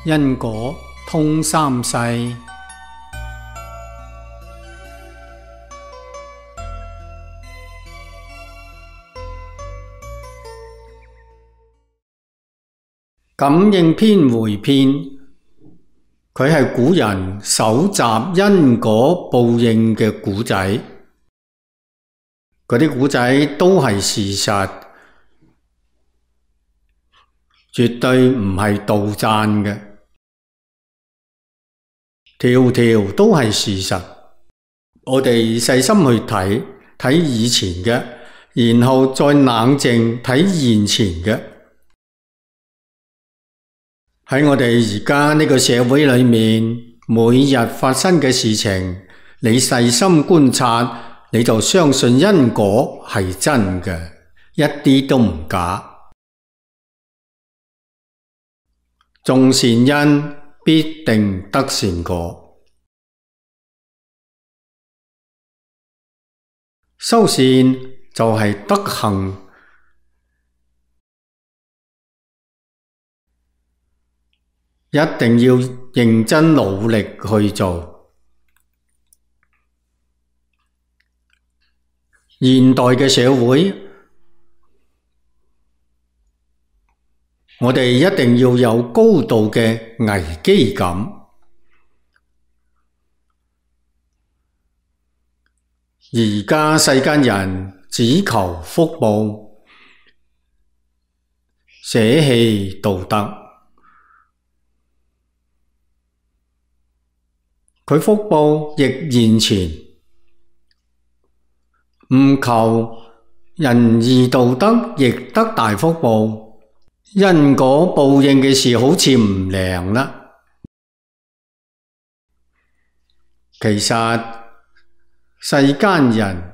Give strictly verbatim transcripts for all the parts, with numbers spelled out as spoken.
因果通三世。感應篇回篇，佢係古人搜集因果報應嘅古仔，嗰啲古仔都係事實，絕對唔係杜撰嘅，條條都係事實。我哋細心去睇睇以前嘅，然後再冷靜睇現前嘅。喺我哋而家呢個社會裏面，每日發生嘅事情，你細心觀察，你就相信因果係真嘅，一啲都唔假。種善因必定得善果，修善就係德行。一定要認真努力去做。現代嘅社會，我哋一定要有高度嘅危機感。而家世間人只求福報，捨棄道德。佢福報亦現前，唔求仁義道德，亦得大福報。因果報應嘅事好似唔靈啦。其實世間人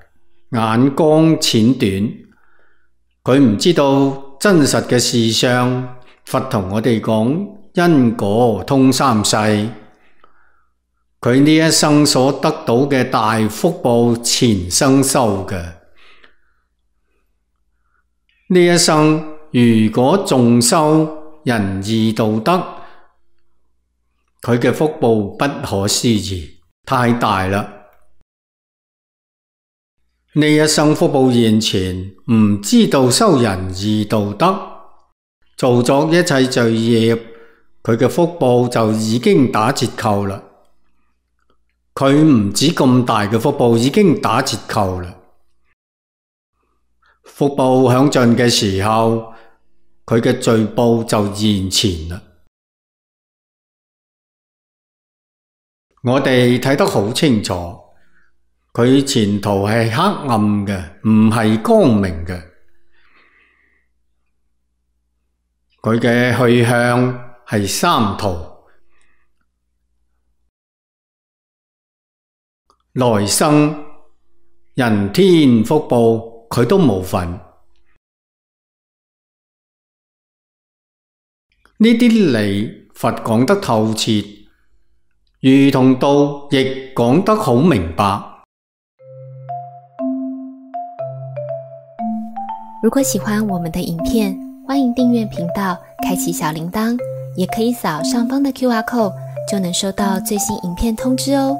眼光淺短，佢唔知道真實嘅事相。佛同我哋講因果通三世。佢呢一生所得到嘅大福報，前生修嘅。呢一生如果重修仁義道德，佢嘅福報不可思議，太大啦。呢一生福報現前，唔知道修仁義道德，做咗一切罪業，佢嘅福報就已經打折扣啦。佢唔止咁大嘅福報，已經打折扣啦。福報享盡嘅時候，佢嘅罪報就現前啦。我哋睇得好清楚，佢前途係黑暗嘅，唔係光明嘅。佢嘅去向係三途。來生人天福報佢都冇份，呢啲理佛講得透徹，如同道亦講得好明白。如果喜歡我們的影片，歡迎訂閱頻道，開啟小鈴鐺，也可以掃上方的 Q R code，就能收到最新影片通知哦。